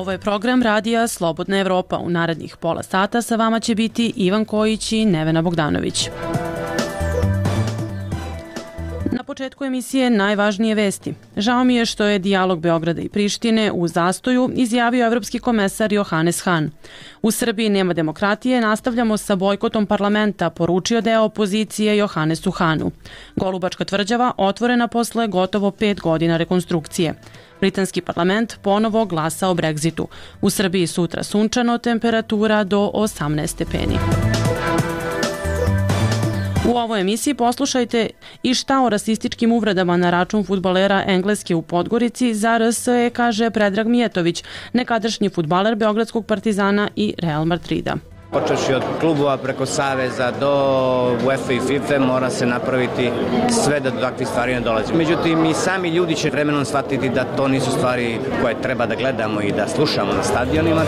Ovo je program radija Slobodna Evropa. U narednih pola sata sa vama će biti Ivan Kojić i Nevena Bogdanović. Na početku emisije najvažnije vesti. Žao mi je što je dijalog Beograda i Prištine u zastoju, izjavio evropski komesar Johannes Hahn. U Srbiji nema demokratije, nastavljamo sa bojkotom parlamenta, poručio deo opozicije Johannesu Hahnu. Golubačka tvrđava otvorena posle gotovo 5 godina rekonstrukcije. Britanski parlament ponovo glasa o Brexitu. U Srbiji sutra sunčano, temperatura do 18 stepeni. U ovoj emisiji poslušajte i šta o rasističkim uvredama na račun fudbalera Engleske u Podgorici za RSE kaže Predrag Mijetović, nekadašnji fudbaler Beogradskog Partizana i Real Madrida. Počevši od klubova preko Saveza do UEFA i FIFA mora se napraviti sve da do takvih stvari ne dolazi. Međutim, i sami ljudi će vremenom shvatiti da to nisu stvari koje treba da gledamo i da slušamo na stadionima.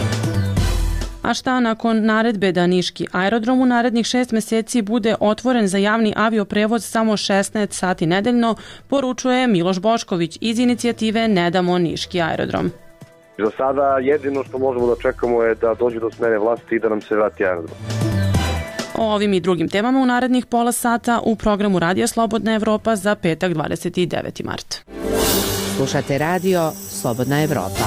A šta nakon naredbe da niški aerodrom u narednih 6 meseci bude otvoren za javni avioprevoz samo 16 sati nedeljno, poručuje Miloš Bošković iz inicijative Ne damo niški aerodrom. Za sada jedino što možemo da čekamo je da dođe do smene vlasti i da nam se vrati aerodrom. O ovim i drugim temama u narednih pola sata u programu Radija Slobodna Evropa za petak 29. mart. Slušate radio Slobodna Evropa.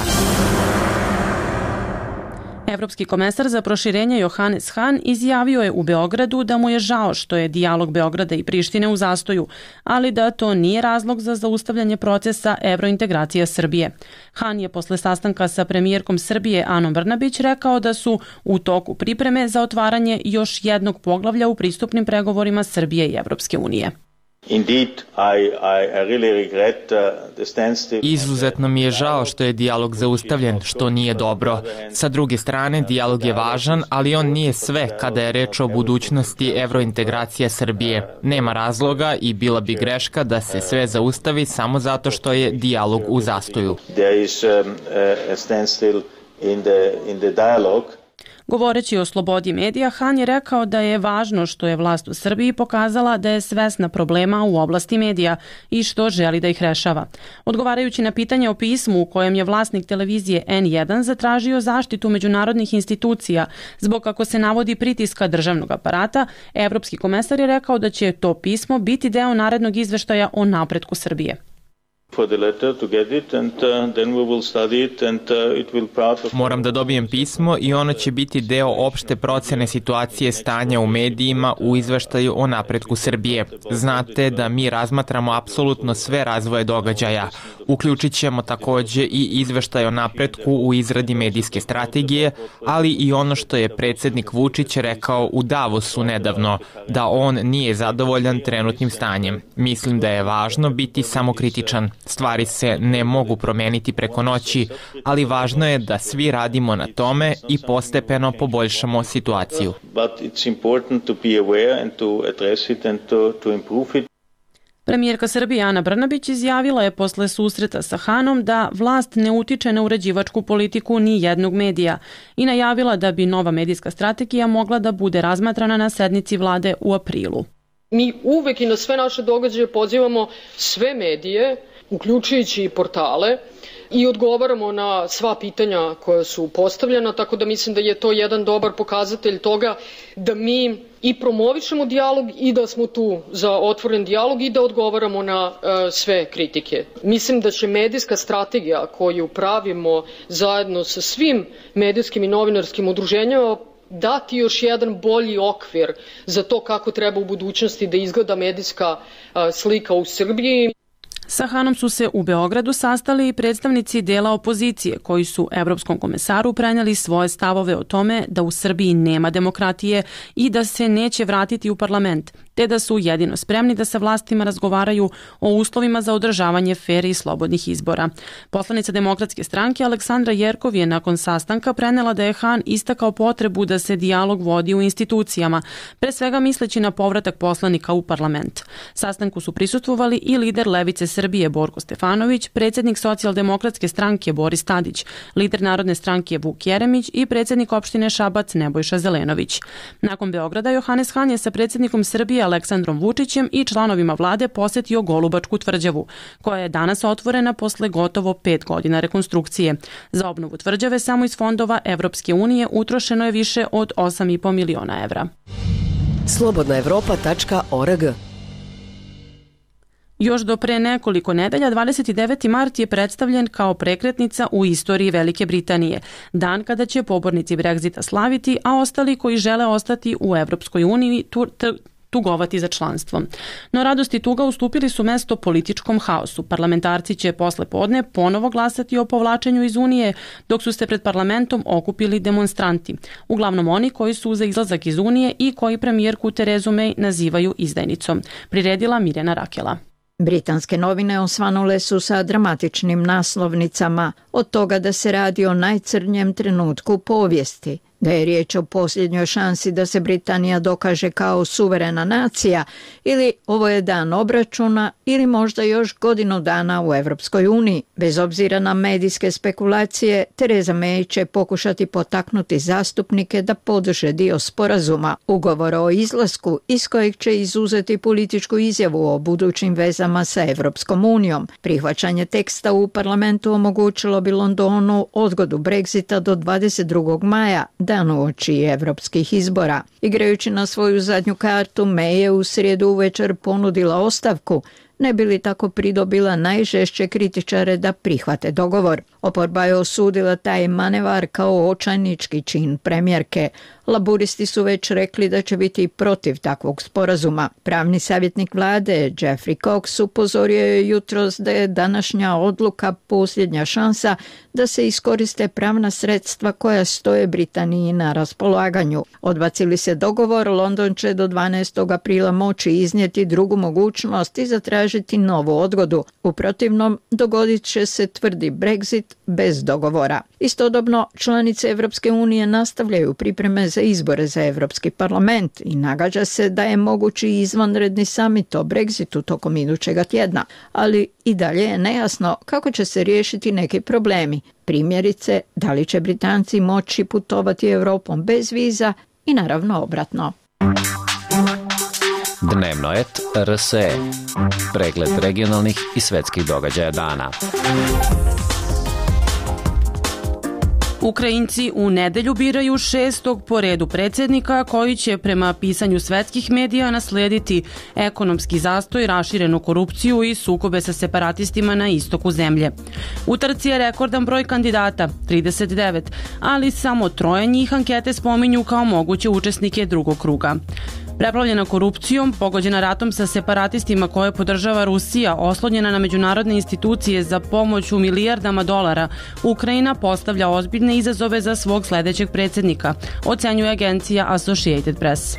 Evropski komesar za proširenje Johannes Hahn izjavio je u Beogradu da mu je žao što je dijalog Beograda i Prištine u zastoju, ali da to nije razlog za zaustavljanje procesa evrointegracija Srbije. Hahn je posle sastanka sa premijerkom Srbije Anom Brnabić rekao da su u toku pripreme za otvaranje još jednog poglavlja u pristupnim pregovorima Srbije i Evropske unije. Izuzetno mi je žao što je dijalog zaustavljen, što nije dobro. Sa druge strane, dijalog je važan, ali on nije sve kada je reč o budućnosti evrointegracija Srbije. Nema razloga i bila bi greška da se sve zaustavi samo zato što je dijalog u zastoju. Govoreći o slobodi medija, Hahn je rekao da je važno što je vlast u Srbiji pokazala da je svesna problema u oblasti medija i što želi da ih rešava. Odgovarajući na pitanje o pismu u kojem je vlasnik televizije N1 zatražio zaštitu međunarodnih institucija zbog kako se navodi pritiska državnog aparata, evropski komesar je rekao da će to pismo biti deo narednog izveštaja o napretku Srbije. Moram da dobijem pismo i ono će biti deo opšte procene situacije stanja u medijima u izveštaju o napretku Srbije. Znate da mi razmatramo apsolutno sve razvoje događaja. Uključit ćemo takođe i izveštaj o napretku u izradi medijske strategije, ali i ono što je predsednik Vučić rekao u Davosu nedavno, da on nije zadovoljan trenutnim stanjem. Mislim da je važno biti samokritičan. Stvari se ne mogu promeniti preko noći, ali važno je da svi radimo na tome i postepeno poboljšamo situaciju. Premijerka Srbije Ana Brnabić izjavila je posle susreta sa Hahnom da vlast ne utiče na uređivačku politiku ni jednog medija i najavila da bi nova medijska strategija mogla da bude razmatrana na sednici vlade u aprilu. Mi uvek i na sve naše događaje pozivamo sve medije, uključujući i portale, i odgovaramo na sva pitanja koja su postavljena, tako da mislim da je to jedan dobar pokazatelj toga da mi i promovišemo dijalog i da smo tu za otvoren dijalog i da odgovaramo na sve kritike. Mislim da će medijska strategija koju pravimo zajedno sa svim medijskim i novinarskim udruženjama dati još jedan bolji okvir za to kako treba u budućnosti da izgleda medijska slika u Srbiji. Sa Hahnom su se u Beogradu sastali i predstavnici dela opozicije koji su evropskom komesaru prenijeli svoje stavove o tome da u Srbiji nema demokratije i da se neće vratiti u parlament, te da su jedino spremni da sa vlastima razgovaraju o uslovima za održavanje fer i slobodnih izbora. Poslanica Demokratske stranke Aleksandra Jerkov je nakon sastanka prenela da je Hahn istakao potrebu da se dijalog vodi u institucijama, pre svega misleći na povratak poslanika u parlament. Sastanku su prisustvovali i lider Levice Srbije Borko Stefanović, predsjednik Socijaldemokratske stranke Boris Tadić, lider Narodne stranke Vuk Jeremić i predsjednik opštine Šabac Nebojša Zelenović. Nakon Beograda, Johanes Han je sa predsjednikom Srbije Aleksandrom Vučićem i članovima vlade posetio Golubačku tvrđavu, koja je danas otvorena posle gotovo 5 godina rekonstrukcije. Za obnovu tvrđave samo iz fondova Evropske unije utrošeno je više od 8,5 miliona evra. Slobodnaevropa.org. Još do pre nekoliko nedelja, 29. mart je predstavljen kao prekretnica u istoriji Velike Britanije, dan kada će pobornici Brexita slaviti, a ostali koji žele ostati u Evropskoj uniji tugovati za članstvom. No radost i tuga ustupili su mesto političkom haosu. Parlamentarci će posle podne ponovo glasati o povlačenju iz Unije, dok su se pred parlamentom okupili demonstranti. Uglavnom oni koji su za izlazak iz Unije i koji premijerku Terezu May nazivaju izdajnicom. Priredila Mirjana Rakela. Britanske novine osvanule su sa dramatičnim naslovnicama od toga da se radi o najcrnjem trenutku povijesti, da je riječ o posljednjoj šansi da se Britanija dokaže kao suverena nacija ili ovo je dan obračuna ili možda još godinu dana u Evropskoj uniji. Bez obzira na medijske spekulacije, Tereza May će pokušati potaknuti zastupnike da podrže dio sporazuma, ugovora o izlasku iz kojeg će izuzeti političku izjavu o budućim vezama sa Evropskom unijom. Prihvaćanje teksta u parlamentu omogućilo bi Londonu odgodu Brexita do 22. maja, dan uoči evropskih izbora. Igrajući na svoju zadnju kartu, May je u srijedu uvečer ponudila ostavku, ne bi li tako pridobila najžešće kritičare da prihvate dogovor. Oporba je osudila taj manevar kao očajnički čin premijerke. Laburisti su već rekli da će biti protiv takvog sporazuma. Pravni savjetnik vlade Geoffrey Cox upozorio je jutros da je današnja odluka posljednja šansa da se iskoriste pravna sredstva koja stoje Britaniji na raspolaganju. Odbacili se dogovor, London će do 12. aprila moći iznijeti drugu mogućnost i zatražiti novu odgodu. U protivnom, dogodit će se tvrdi Brexit bez dogovora. Istodobno, članice Evropske unije nastavljaju pripreme za izbore za Evropski parlament i nagađa se da je mogući izvanredni samit o Brexitu tokom idućega tjedna, ali i dalje je nejasno kako će se riješiti neki problemi. Primjerice, da li će Britanci moći putovati Europom bez viza i naravno obratno. Dnevnoet RSE. Pregled regionalnih i svetskih događaja dana. Ukrajinci u nedelju biraju 6. po redu predsjednika koji će prema pisanju svetskih medija naslediti ekonomski zastoj, raširenu korupciju i sukobe sa separatistima na istoku zemlje. U trci je rekordan broj kandidata, 39, ali samo 3 njih ankete spominju kao moguće učesnike drugog kruga. Preplavljena korupcijom, pogođena ratom sa separatistima koje podržava Rusija, oslonjena na međunarodne institucije za pomoć u milijardama dolara, Ukrajina postavlja ozbiljne izazove za svog sledećeg predsjednika, ocenjuje agencija Associated Press.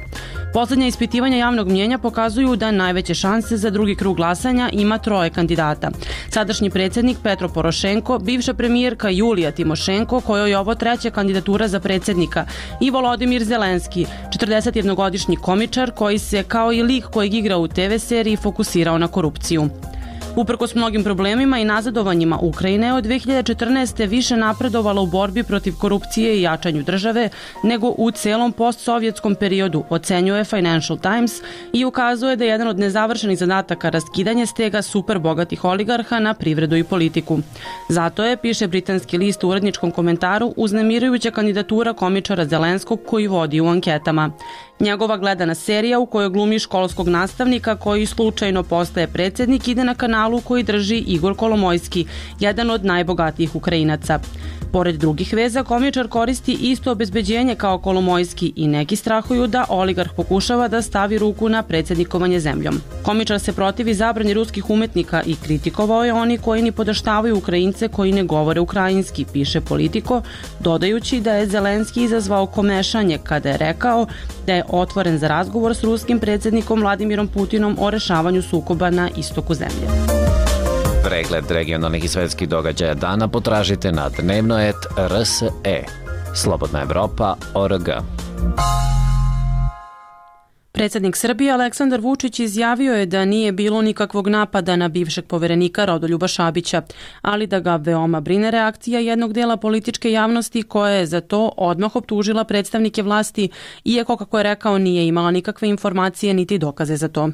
Poslednja ispitivanja javnog mnjenja pokazuju da najveće šanse za drugi krug glasanja ima 3 kandidata. Sadašnji predsjednik Petro Porošenko, bivša premijerka Julija Timošenko, kojoj je ovo 3. kandidatura za predsjednika, i Volodimir Zelenski, 41-godišnji komičar koji se, kao i lik kojeg igra u TV seriji, fokusirao na korupciju. Uprkos mnogim problemima i nazadovanjima, Ukrajina je od 2014. više napredovala u borbi protiv korupcije i jačanju države nego u celom postsovjetskom periodu, ocenjuje Financial Times i ukazuje da je jedan od nezavršenih zadataka raskidanje stega superbogatih oligarha na privredu i politiku. Zato je, piše britanski list u uredničkom komentaru, uznemirujuća kandidatura komičara Zelenskog koji vodi u anketama. Njegova gledana serija u kojoj glumi školskog nastavnika koji slučajno postaje predsjednik ide na kanalu koji drži Igor Kolomojski, jedan od najbogatijih Ukrajinaca. Pored drugih veza, komičar koristi isto obezbeđenje kao Kolomojski i neki strahuju da oligarh pokušava da stavi ruku na predsjednikovanje zemljom. Komičar se protivi zabrani ruskih umetnika i kritikovao je oni koji ni podaštavaju Ukrajince koji ne govore ukrajinski, piše Politico, dodajući da je Zelenski izazvao komešanje kada je rekao da je otvoren za razgovor s ruskim predsjednikom Vladimirom Putinom o rešavanju sukoba na istoku zemlje. Pregled regionalnih i svetskih događaja dana potražite na Dnevnoet RSE. Slobodnaevropa.org. Predsjednik Srbije Aleksandar Vučić izjavio je da nije bilo nikakvog napada na bivšeg poverenika Rodoljuba Šabića, ali da ga veoma brine reakcija jednog dela političke javnosti koja je za to odmah optužila predstavnike vlasti, iako, kako je rekao, nije imala nikakve informacije niti dokaze za to.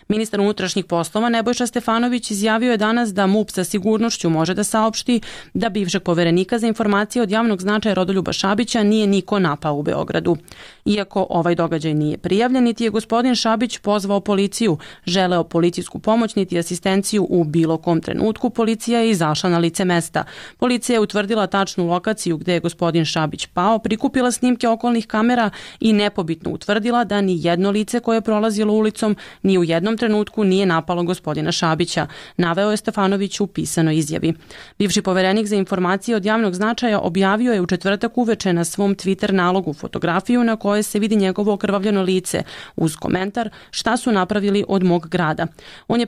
Ministar unutrašnjih poslova Nebojša Stefanović izjavio je danas da MUP sa sigurnošću može da saopšti da bivšeg poverenika za informacije od javnog značaja Rodoljuba Šabića nije niko napao u Beogradu. Iako ovaj događaj nije prijavljen, niti je gospodin Šabić pozvao policiju, želeo policijsku pomoć niti asistenciju u bilo kom trenutku, policija je izašla na lice mesta. Policija je utvrdila tačnu lokaciju gde je gospodin Šabić pao, prikupila snimke okolnih kamera i nepobitno utvrdila da ni jedno lice koje je prolazilo ulicom ni u jednom trenutku nije napalo gospodina Šabića, naveo je Stefanović u pisanoj izjavi. Bivši poverenik za informacije od javnog značaja objavio je u četvrtak uveče na svom Twitter nalogu fotografiju na kojoj se vidi njegovo okrvavljeno lice uz komentar šta su napravili od mog grada. On je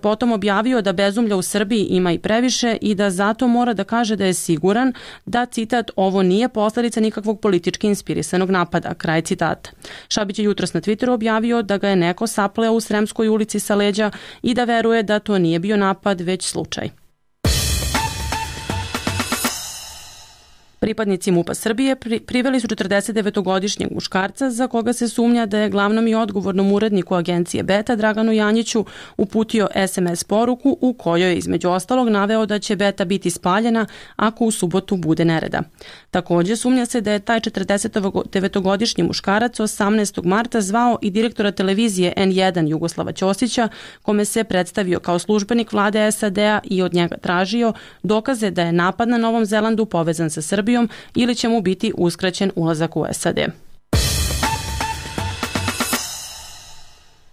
potom objavio da bezumlja u Srbiji ima i previše i da zato mora da kaže da je siguran da, citat, ovo nije posledica nikakvog politički inspirisanog napada, kraj citata. Šabić je jutros na Twitteru objavio da ga je neko sapleo u Sremskoj ulici sa leđa i da veruje da to nije bio napad, već slučaj. Pripadnici MUP-a Srbije priveli su 49-godišnjeg muškarca za koga se sumnja da je glavnom i odgovornom uredniku agencije Beta Draganu Janjiću uputio SMS poruku u kojoj je između ostalog naveo da će Beta biti spaljena ako u subotu bude nereda. Također sumnja se da je taj 49-godišnji muškarac 18. marta zvao i direktora televizije N1 Jugoslava Ćosića, kome se predstavio kao službenik vlade SAD-a i od njega tražio dokaze da je napad na Novom Zelandu povezan sa Srbijom ili će mu biti uskraćen ulazak u SAD.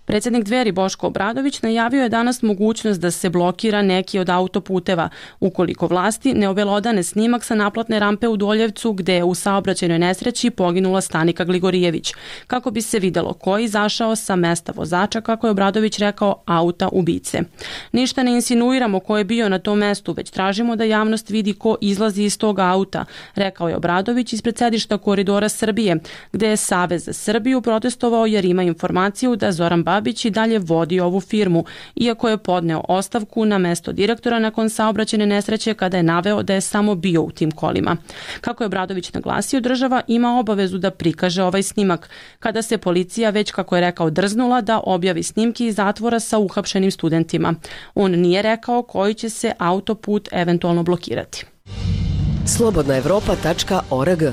Predsjednik Dveri Boško Obradović najavio je danas mogućnost da se blokira neki od autoputeva ukoliko vlasti ne obelodane snimak sa naplatne rampe u Doljevcu gde je u saobraćajnoj nesreći poginula Stanika Gligorijević, kako bi se videlo ko je izašao sa mesta vozača, kako je Obradović rekao, auta ubice. Ništa ne insinuiramo ko je bio na tom mestu, već tražimo da javnost vidi ko izlazi iz tog auta, rekao je Obradović ispred sedišta Koridora Srbije, gde je Savez za Srbiju protestovao jer ima informaciju da Zoran Babić i dalje vodi ovu firmu, iako je podneo ostavku na mesto direktora nakon saobraćajne nesreće kada je naveo da je samo bio u tim kolima. Kako je Obradović naglasio, država ima obavezu da prikaže ovaj snimak, kada se policija već, kako je rekao, drznula da objavi snimki iz zatvora sa uhapšenim studentima. On nije rekao koji će se autoput eventualno blokirati. Slobodnaevropa.org.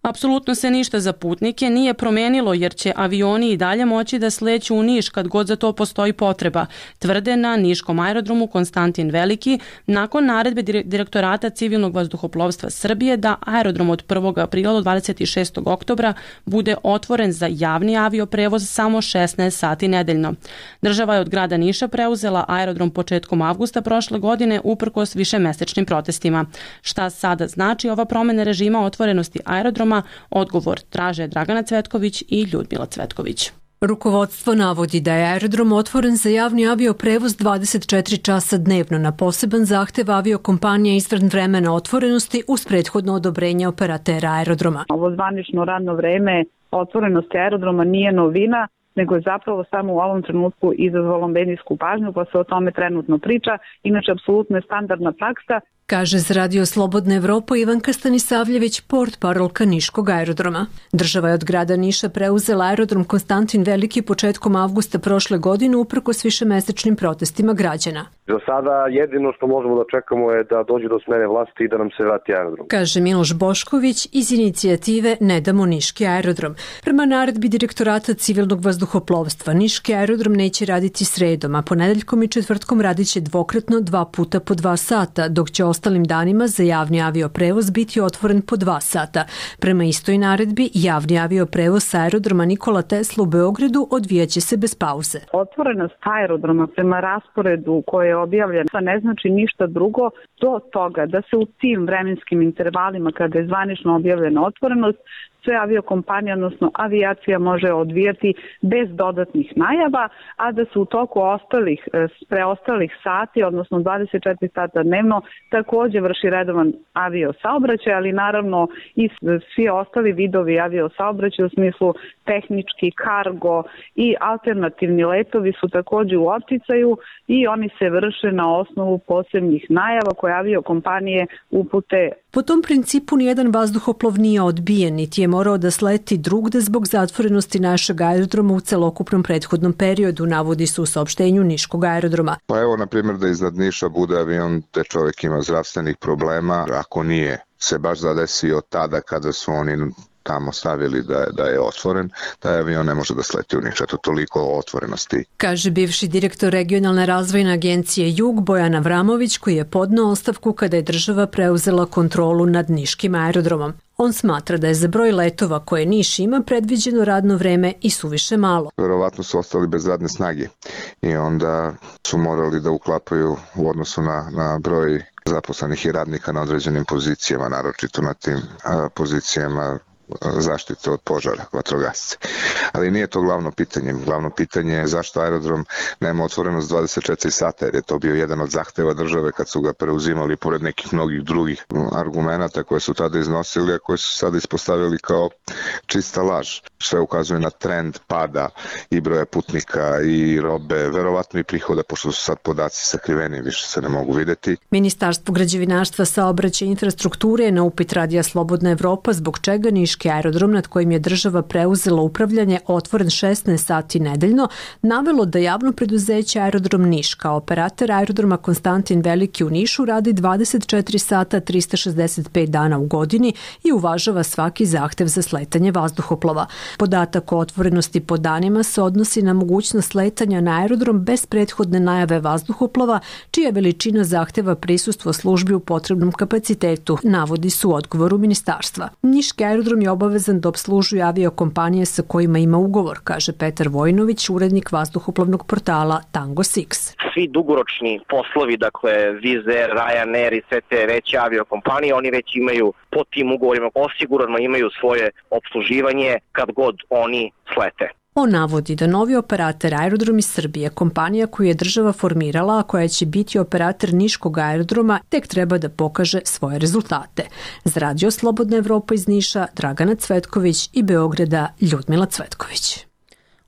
Apsolutno se ništa za putnike nije promenilo jer će avioni i dalje moći da sleću u Niš kad god za to postoji potreba, tvrde na niškom aerodromu Konstantin Veliki nakon naredbe Direktorata civilnog vazduhoplovstva Srbije da aerodrom od 1. aprila do 26. oktobra bude otvoren za javni avioprevoz samo 16 sati nedeljno. Država je od grada Niša preuzela aerodrom početkom avgusta prošle godine uprkos višemesečnim protestima. Šta sada znači ova promena režima otvorenosti aerodroma? Odgovor traže Dragana Cvetković i Ljudmila Cvetković. Rukovodstvo navodi da je aerodrom otvoren za javni avioprevoz 24 časa dnevno na poseban zahtev aviokompanije izvan vremena otvorenosti uz prethodno odobrenje operatera aerodroma. Ovo zvanično radno vreme otvorenosti aerodroma nije novina, nego je zapravo samo u ovom trenutku izazvalo medijsku pažnju, pa se o tome trenutno priča. Inače, apsolutno je standardna praksa. Kaže za Radio Slobodna Evropa Ivanka Stanisavljević, portparolka Niškog aerodroma. Država je od grada Niša preuzela aerodrom Konstantin Veliki početkom avgusta prošle godine uprkos višemesečnim protestima građana. Za sada jedino što možemo da čekamo je da dođe do smene vlasti i da nam se vrati aerodrom. Kaže Miloš Bošković iz inicijative Ne damo Niški aerodrom. Prema naredbi Direktorata civilnog vazduhoplovstva, Niški aerodrom neće raditi sredom, a ponedeljkom i četvrtkom radit će dvokratno 2 puta po 2 sata, dok će ostalim danima za javni avioprevoz biti otvoren po 2 sata. Prema istoj naredbi, javni avioprevoz sa aerodroma Nikola Tesla u Beogradu odvijaće se bez pauze. Otvorenost aerodroma prema rasporedu koje je objavljen ne znači ništa drugo do toga da se u tim vremenskim intervalima kada je zvanično objavljena otvorenost sve aviokompanije, odnosno avijacija može odvijati bez dodatnih najava, a da se u toku preostalih sati, odnosno 24 sata dnevno, takođe vrši redovan aviosaobraćaj, ali naravno i svi ostali vidovi aviosaobraćaja u smislu tehnički, kargo i alternativni letovi su takođe u opticaju i oni se vrše na osnovu posebnih najava koje aviokompanije upute. Po tom principu nijedan vazduhoplov nije odbijen, niti je morao da sleti drugde zbog zatvorenosti našeg aerodroma u celokupnom prethodnom periodu, navodi se u saopštenju Niškog aerodroma. Pa evo, na primjer, da iznad Niša bude avion gde čovjek ima zdravstvenih problema, ako nije se baš zadesio tada kada su oni tamo stavili da je otvoren, taj avion ne može da sleti u Niš. Eto, toliko o otvorenosti. Kaže bivši direktor regionalne razvojne agencije Jug Bojan Avramović, koji je podneo ostavku kada je država preuzela kontrolu nad Niškim aerodromom. On smatra da je za broj letova koje Niš ima predviđeno radno vreme i suviše malo. Verovatno su ostali bez radne snage i onda su morali da uklapaju u odnosu na broj zaposlenih i radnika na određenim pozicijama, naročito na tim pozicijama zaštite od požara, vatrogasci. Ali nije to glavno pitanje. Glavno pitanje je zašto aerodrom nema otvorenost 24 sata, jer je to bio jedan od zahteva države kad su ga preuzimali pored nekih mnogih drugih argumenata koje su tada iznosili, a koje su sada ispostavili kao čista laž. Sve ukazuje na trend pada i broja putnika i robe, verovatno i prihoda, pošto su sad podaci sakriveni, više se ne mogu videti. Ministarstvo građevinarstva, saobraćaja i infrastrukture je na upit Radija Slobodna Evropa zbog čega Niški aerodrom nad kojim je država preuzela upravljanje otvoren 16 sati nedeljno, navelo da javno preduzeće Aerodrom Niš kao operator aerodroma Konstantin Veliki u Nišu radi 24 sata 365 dana u godini i uvažava svaki zahtev za sletanje vazduhoplova. Podatak o otvorenosti po danima se odnosi na mogućnost sletanja na aerodrom bez prethodne najave vazduhoplova, čija veličina zahteva prisustvo službi u potrebnom kapacitetu, navodi su u odgovoru ministarstva. Niški aerodrom je obavezan da opslužuje aviokompanije sa kojima ima ugovor, kaže Petar Vojnović, urednik vazduhoplovnog portala Tango Six. Svi dugoročni poslovi, dakle Wizz Air, Ryanair i sve te veće aviokompanije, oni već imaju po tim ugovorima osigurano imaju svoje opsluživanje kad god oni slete. On navodi da novi operator Aerodrom iz Srbije, kompanija koju je država formirala, a koja će biti operator Niškog aerodroma, tek treba da pokaže svoje rezultate. Za Radio Slobodna Evropa iz Niša, Dragana Cvetković i Beograda, Ljudmila Cvetković.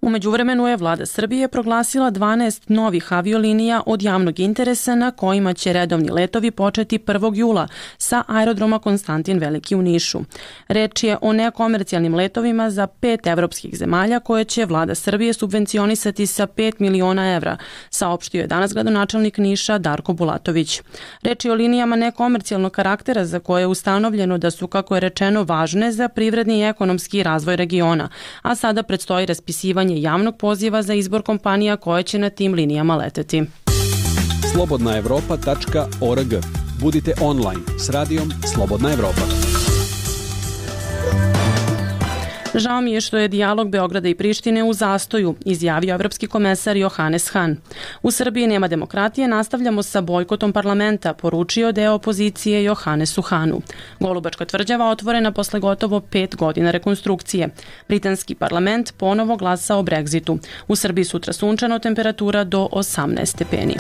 U međuvremenu je vlada Srbije proglasila 12 novih aviolinija od javnog interesa na kojima će redovni letovi početi 1. jula sa aerodroma Konstantin Veliki u Nišu. Reč je o nekomercijalnim letovima za 5 evropskih zemalja koje će vlada Srbije subvencionisati sa 5 miliona evra, saopštio je danas gradonačelnik Niša Darko Bulatović. Reč je o linijama nekomercijalnog karaktera za koje je ustanovljeno da su, kako je rečeno, važne za privredni i ekonomski razvoj regiona, a sada predstoji raspisivanje javnog poziva za izbor kompanija koje će na tim linijama leteti. slobodnaevropa.org. Budite online s radijom Slobodna Evropa. Žao mi je što je dijalog Beograda i Prištine u zastoju, izjavio evropski komesar Johannes Hahn. U Srbiji nema demokratije, nastavljamo sa bojkotom parlamenta, poručio deo opozicije Johannesu Hahnu. Golubačka tvrđava otvorena posle gotovo 5 godina rekonstrukcije. Britanski parlament ponovo glasa o Brexitu. U Srbiji sutra sunčano, temperatura do 18 stepeni.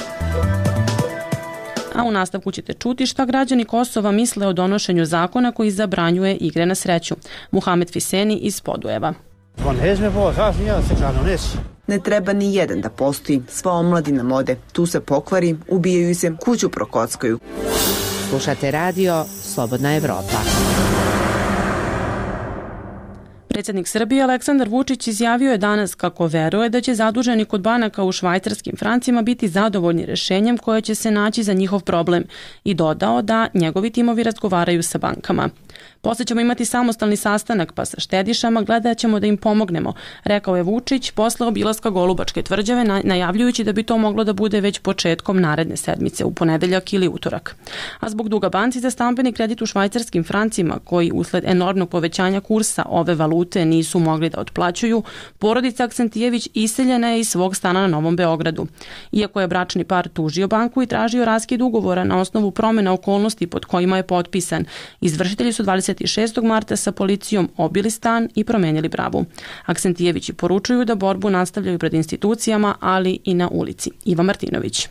A u nastavku ćete čuti šta građani Kosova misle o donošenju zakona koji zabranjuje igre na sreću. Muhamed Fiseni iz Podujeva. Ne treba ni jedan da postoji, sva omladina ode, tu se pokvari, ubijaju se, kuću prokockaju. Slušate radio Slobodna Evropa. Predsjednik Srbije Aleksandar Vučić izjavio je danas kako veruje da će zaduženi kod banaka u švajcarskim francima biti zadovoljni rešenjem koje će se naći za njihov problem i dodao da njegovi timovi razgovaraju sa bankama. Posle ćemo imati samostalni sastanak pa sa štedišama gledat ćemo da im pomognemo, rekao je Vučić posle obilaska Golubačke tvrđave, najavljujući da bi to moglo da bude već početkom naredne sedmice, u ponedeljak ili utorak. A zbog duga banci za stambeni kredit u švajcarskim francima, koji usled enormnog povećanja kursa ove valute kredite nisu mogli da otplaćuju, porodica Aksentijević iseljena je iz svog stana na Novom Beogradu. Iako je bračni par tužio banku i tražio raskid ugovora na osnovu promjena okolnosti pod kojima je potpisan, izvršitelji su 26. marta sa policijom obili stan i promenili bravu. Aksentijevići poručuju da borbu nastavljaju pred institucijama, ali i na ulici. Iva Martinović.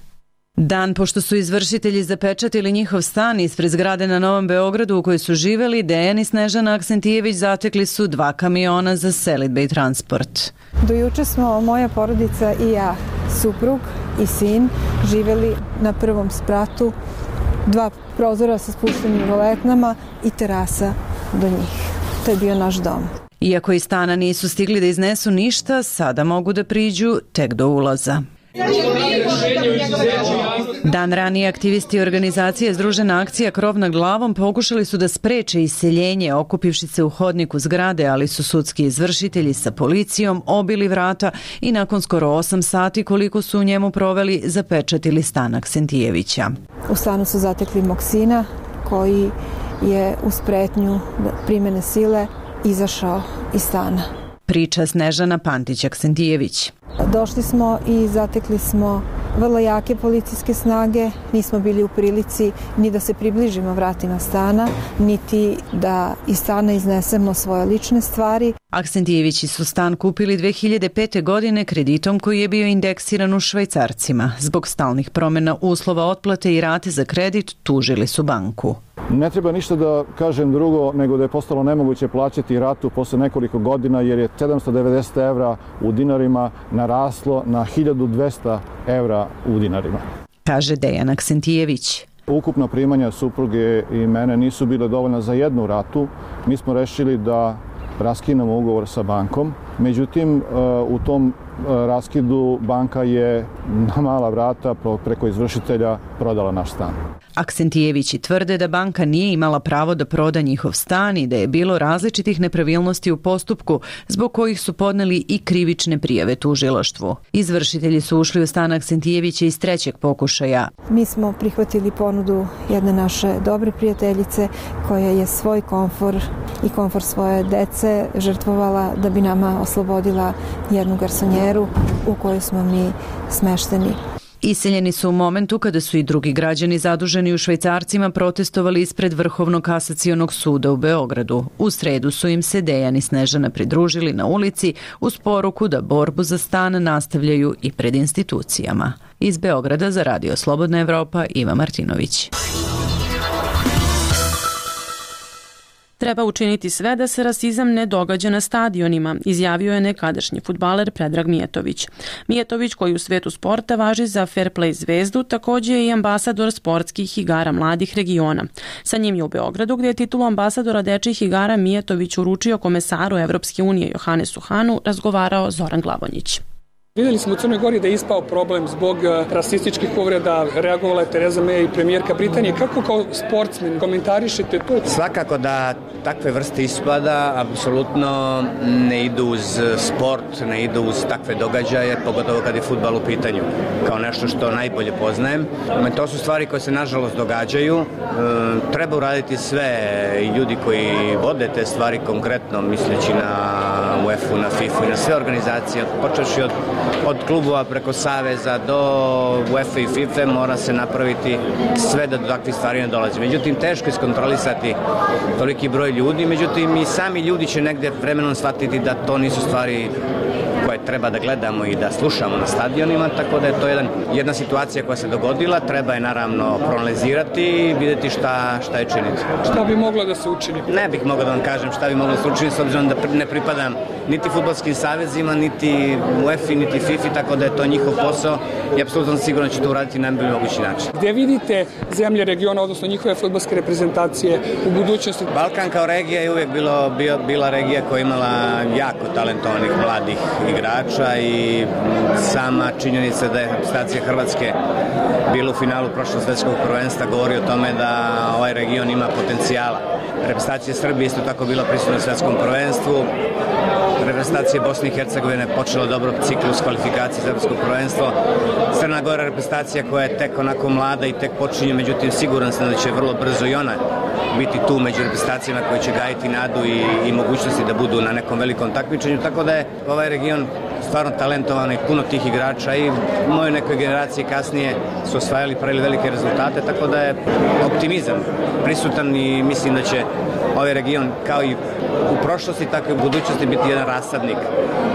Dan pošto su izvršitelji zapečatili njihov stan ispred zgrade na Novom Beogradu u kojoj su živeli, Dejan i Snežana Aksentijević zatekli su 2 kamiona za selidbe i transport. Do juče smo moja porodica i ja, suprug i sin, živeli na prvom spratu, 2 prozora sa spuštenim roletnama i terasa do njih. To je bio naš dom. Iako iz stana nisu stigli da iznesu ništa, sada mogu da priđu tek do ulaza. Dan ranije aktivisti organizacije Združena akcija Krov nad glavom pokušali su da spreče iseljenje okupivši se u hodniku zgrade, ali su sudski izvršitelji sa policijom obili vrata i nakon skoro 8 sati koliko su u njemu proveli zapečatili stan Aksentijevića. U stanu su zatekli mog sina koji je uz pretnju primene sile izašao iz stana. Priča Snežana Pantić-Aksentijević. Došli smo i zatekli smo vrlo jake policijske snage, nismo bili u prilici ni da se približimo vratima stana, niti da iz stana iznesemo svoje lične stvari. Aksentijevići su stan kupili 2005. godine kreditom koji je bio indeksiran u švajcarcima. Zbog stalnih promjena uslova otplate i rate za kredit tužili su banku. Ne treba ništa da kažem drugo nego da je postalo nemoguće plaćati ratu posle nekoliko godina jer je 790 evra u dinarima naraslo na 1200 evra u dinarima. Kaže Dejan Aksentijević. Ukupna primanja supruge i mene nisu bile dovoljna za jednu ratu. Mi smo rešili da raskinemo ugovor sa bankom. Međutim, u tom raskidu banka je na mala vrata preko izvršitelja prodala naš stan. Aksentijevići tvrde da banka nije imala pravo da proda njihov stan i da je bilo različitih nepravilnosti u postupku zbog kojih su podneli i krivične prijave tužilaštvu. Izvršitelji su ušli u stan Aksentijevića iz 3. pokušaja. Mi smo prihvatili ponudu jedne naše dobre prijateljice koja je svoj komfor i komfor svoje dece žrtvovala da bi nama oslobodila jednu garsonjeru u kojoj smo mi smešteni. Iseljeni su u momentu kada su i drugi građani zaduženi u švajcarcima protestovali ispred Vrhovnog kasacionog suda u Beogradu. U sredu su im se Dejan i Snežana pridružili na ulici uz poruku da borbu za stan nastavljaju i pred institucijama. Iz Beograda za Radio Slobodna Evropa, Iva Martinović. Treba učiniti sve da se rasizam ne događa na stadionima, izjavio je nekadašnji fudbaler Predrag Mijetović. Mijetović, koji u svetu sporta važi za fair play zvezdu, također je i ambasador sportskih igara mladih regiona. Sa njim je u Beogradu, gdje je titulu ambasadora dečjih igara Mijetović uručio komesaru Evropske unije Johannesu Hahnu, razgovarao Zoran Glavonjić. Vidjeli smo u Crnoj Gori da je ispao problem zbog rasističkih povreda, reagovala je Tereza May i premijerka Britanije. Kako kao sportsmen komentarišete to? Svakako da takve vrste ispada apsolutno ne idu uz sport, ne idu uz takve događaje, pogotovo kad je fudbal u pitanju, kao nešto što najbolje poznajem. To su stvari koje se nažalost događaju. Treba uraditi sve i ljudi koji vode te stvari konkretno, misleći na UEFA, na FIFA i na sve organizacije, počevši od klubova preko saveza do UEFA i FIFA mora se napraviti sve da do takvih stvari ne dolazi. Međutim, teško je iskontrolisati toliki broj ljudi, međutim i sami ljudi će negde vremenom shvatiti da to nisu stvari koje treba da gledamo i da slušamo na stadionima, tako da je to jedna situacija koja se dogodila, treba je naravno proanalizirati i vidjeti šta je činiti. Šta bi moglo da se učini? Ne bih mogao da vam kažem šta bi moglo da se učini, s obzirom da ne pripadam niti fudbalskim savezima, niti UEFA, niti FIFA, tako da je to njihov posao i apsolutno sigurno će to uraditi na najbolji mogući način. Gde vidite zemlje regiona, odnosno njihove fudbalske reprezentacije u budućnosti? Balkan kao regija je uvijek bila regija koja je imala jako talentovanih mladih igrača igrača i sama činjenica da je reprezentacija Hrvatske bila u finalu prošlog svetskog prvenstva govori o tome da ovaj region ima potencijala. Reprezentacija Srbije isto tako bila prisutna u svetskom prvenstvu. Reprezentacija Bosne i Hercegovine počela dobro ciklus kvalifikacije za evropsko prvenstvo. Crna Gora reprezentacija koja je tek onako mlada i tek počinje, međutim siguran sam da će vrlo brzo i ona biti tu među reprezentacijama koji će gajiti nadu i mogućnosti da budu na nekom velikom takmičenju, tako da je ovaj region stvarno talentovan i puno tih igrača i u mojoj nekoj generaciji kasnije su osvajali, pravili velike rezultate, tako da je optimizam prisutan i mislim da će ovaj region kao i u prošlosti, tako i u budućnosti biti jedan rasadnik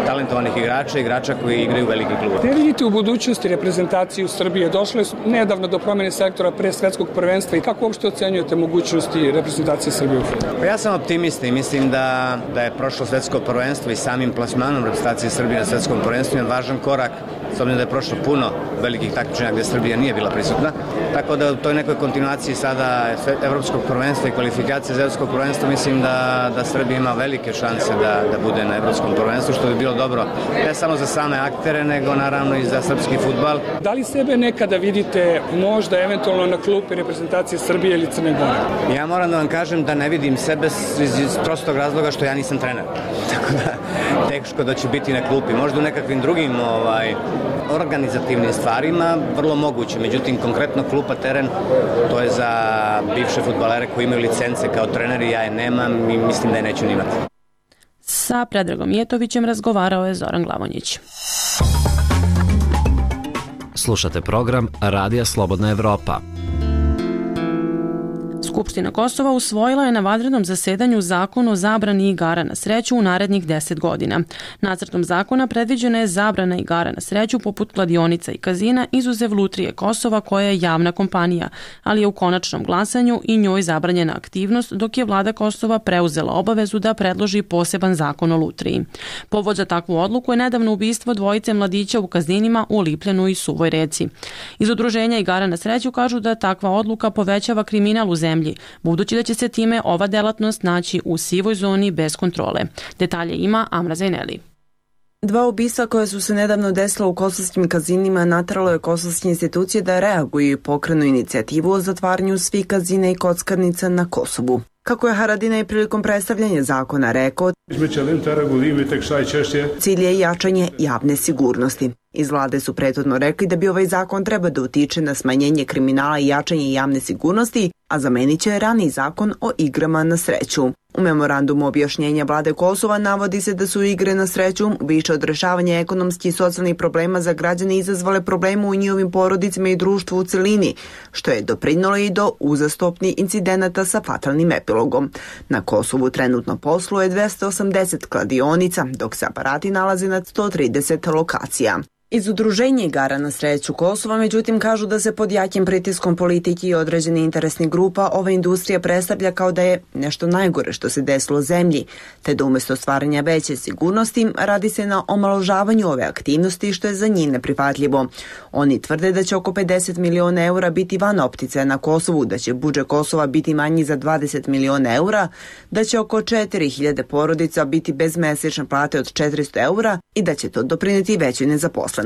talentovanih igrača koji igraju u veliki klub. Ne vidite u budućnosti reprezentaciju Srbije? Došle su nedavno do promjene sektora pre svetskog prvenstva i kako uopšte ocenjujete mogućnosti reprezentacije Srbije u fudbalu? Pa ja sam optimista i mislim da je prošlo svetsko prvenstvo i samim plasmanom reprezentacije Srbije na svetskom prvenstvu jedan važan korak, s obzirom da je prošlo puno velikih takmičenja gde Srbija nije bila prisutna. Tako da u toj nekoj kontinuaciji sada evropskog prvenstva i kvalifikacije za evropsko prvenstvo mislim da Srbija ima velike šanse da bude na evropskom prvenstvu, što bi bilo dobro ne samo za same aktere, nego naravno i za srpski fudbal. Da li sebe nekada vidite možda eventualno na klupi reprezentacije Srbije ili Crne Gore? Ja moram da vam kažem da ne vidim sebe iz prostog razloga što ja nisam trener. Tako da teško da ću biti na klupi. Možda u nekakvim drugim organizativnim stvarima vrlo moguće. Međutim, konkretno klupa, teren, to je za bivše fudbalere koji imaju licence kao treneri, ja je nemam i mislim da je neću nimati. Sa Predragom Jetovićem razgovarao je Zoran Glavonjić. Slušate program Radija Slobodna Evropa. Skupština Kosova usvojila je na vanrednom zasedanju zakon o zabrani igara na sreću u narednih 10 godina. Nacrtom zakona predviđena je zabrana igara na sreću poput kladionica i kazina izuzev Lutrije Kosova koja je javna kompanija, ali je u konačnom glasanju i njoj zabranjena aktivnost dok je vlada Kosova preuzela obavezu da predloži poseban zakon o lutriji. Povod za takvu odluku je nedavno ubistvo dvojice mladića u kazinima u Lipljanu i Suvoj Reci. Iz udruženja igara na sreću kažu da takva odluka povećava kriminal u zemlji, budući da će se time ova delatnost naći u sivoj zoni bez kontrole. Detalje ima Amra Zajneli. Dva ubistva koja su se nedavno desila u kosovskim kazinima nateralo je kosovske institucije da reaguju i pokrenu inicijativu o zatvaranju svih kazina i kockarnica na Kosovu. Kako je Haradinaj prilikom predstavljanja zakona rekao, cilj je jačanje javne sigurnosti. Iz vlade su prethodno rekli da bi ovaj zakon treba da utiče na smanjenje kriminala i jačanje javne sigurnosti, a zamenit će raniji zakon o igrama na sreću. U memorandumu objašnjenja vlade Kosova navodi se da su igre na sreću više od rešavanja ekonomskih i socijalnih problema za građane izazvale probleme u njihovim porodicama i društvu u celini, što je doprinalo i do uzastopnih incidenata sa fatalnim epilogom. Na Kosovu trenutno posluje 280 kladionica, dok se aparati nalaze na 130 lokacija. Iz udruženja igara na sreću Kosova, međutim, kažu da se pod jakim pritiskom politike i određenih interesnih grupa ova industrija predstavlja kao da je nešto najgore što se desilo zemlji, te da umjesto stvaranja veće sigurnosti radi se na omaložavanju ove aktivnosti što je za njih neprihvatljivo. Oni tvrde da će oko 50 miliona eura biti van opticaja na Kosovu, da će budžet Kosova biti manji za 20 miliona eura, da će oko 4000 porodica biti bez mesečne plate od 400 eura i da će to doprineti većoj nezaposlenosti.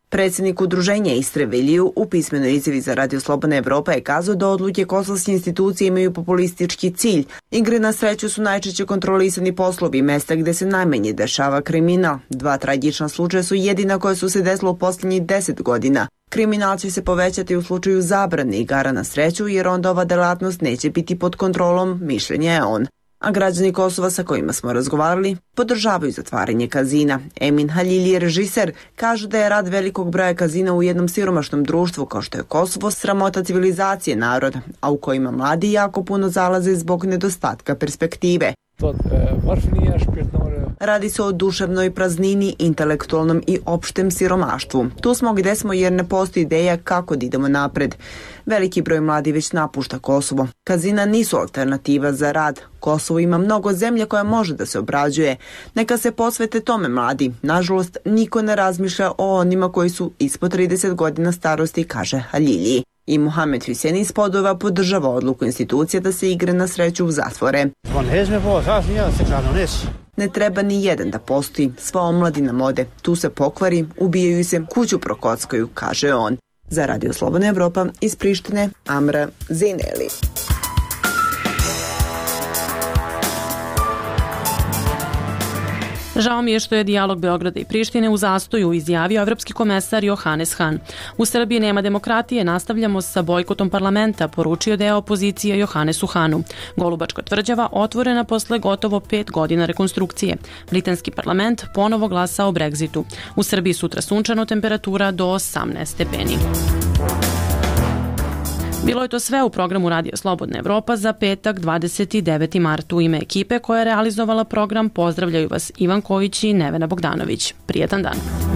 Predsjednik udruženja Istre Viliju u pismenoj izjavi za Radio Slobodna Evropa je kazao da odluke kosovske institucije imaju populistički cilj. Igre na sreću su najčešće kontrolisani poslovi, mesta gde se najmanje dešava kriminal. Dva tragična slučaja su jedina koja su se desila u posljednjih 10 godina. Kriminal će se povećati u slučaju zabrane igara na sreću jer onda ova delatnost neće biti pod kontrolom, mišljenja je on. A građani Kosova sa kojima smo razgovarali podržavaju zatvaranje kazina. Emin Halili, režiser, kaže da je rad velikog broja kazina u jednom siromašnom društvu kao što je Kosovo sramota civilizacije naroda, a u kojima mladi jako puno zalaze zbog nedostatka perspektive. Radi se o duševnoj praznini, intelektualnom i opštem siromaštvu. Tu smo gde smo jer ne postoji ideja kako da idemo napred. Veliki broj mladi već napušta Kosovo. Kazina nisu alternativa za rad. Kosovo ima mnogo zemlje koja može da se obrađuje. Neka se posvete tome mladi. Nažalost, niko ne razmišlja o onima koji su ispod 30 godina starosti, kaže Halili. I Mohamed Hussein iz Podova podržava odluku institucija da se igre na sreću zatvore. Ne treba ni jedan da postoji, sva omladina mode, tu se pokvari, ubijaju se, kuću prokockaju, kaže on. Za Radio Slobodna Evropa iz Prištine, Amra Zineli. Žao mi je što je dijalog Beograda i Prištine u zastoju, izjavio evropski komesar Johannes Hahn. U Srbiji nema demokratije, nastavljamo sa bojkotom parlamenta, poručio deo opozicije Johannesu Hahnu. Golubačka tvrđava otvorena posle gotovo 5 godina rekonstrukcije. Britanski parlament ponovo glasa o Brexitu. U Srbiji sutra sunčano, temperatura do 18 stepeni. Bilo je to sve u programu Radio Slobodna Evropa za petak 29. mart. U ime ekipe koja je realizovala program pozdravljaju vas Ivan Kojić i Nevena Bogdanović. Prijetan dan.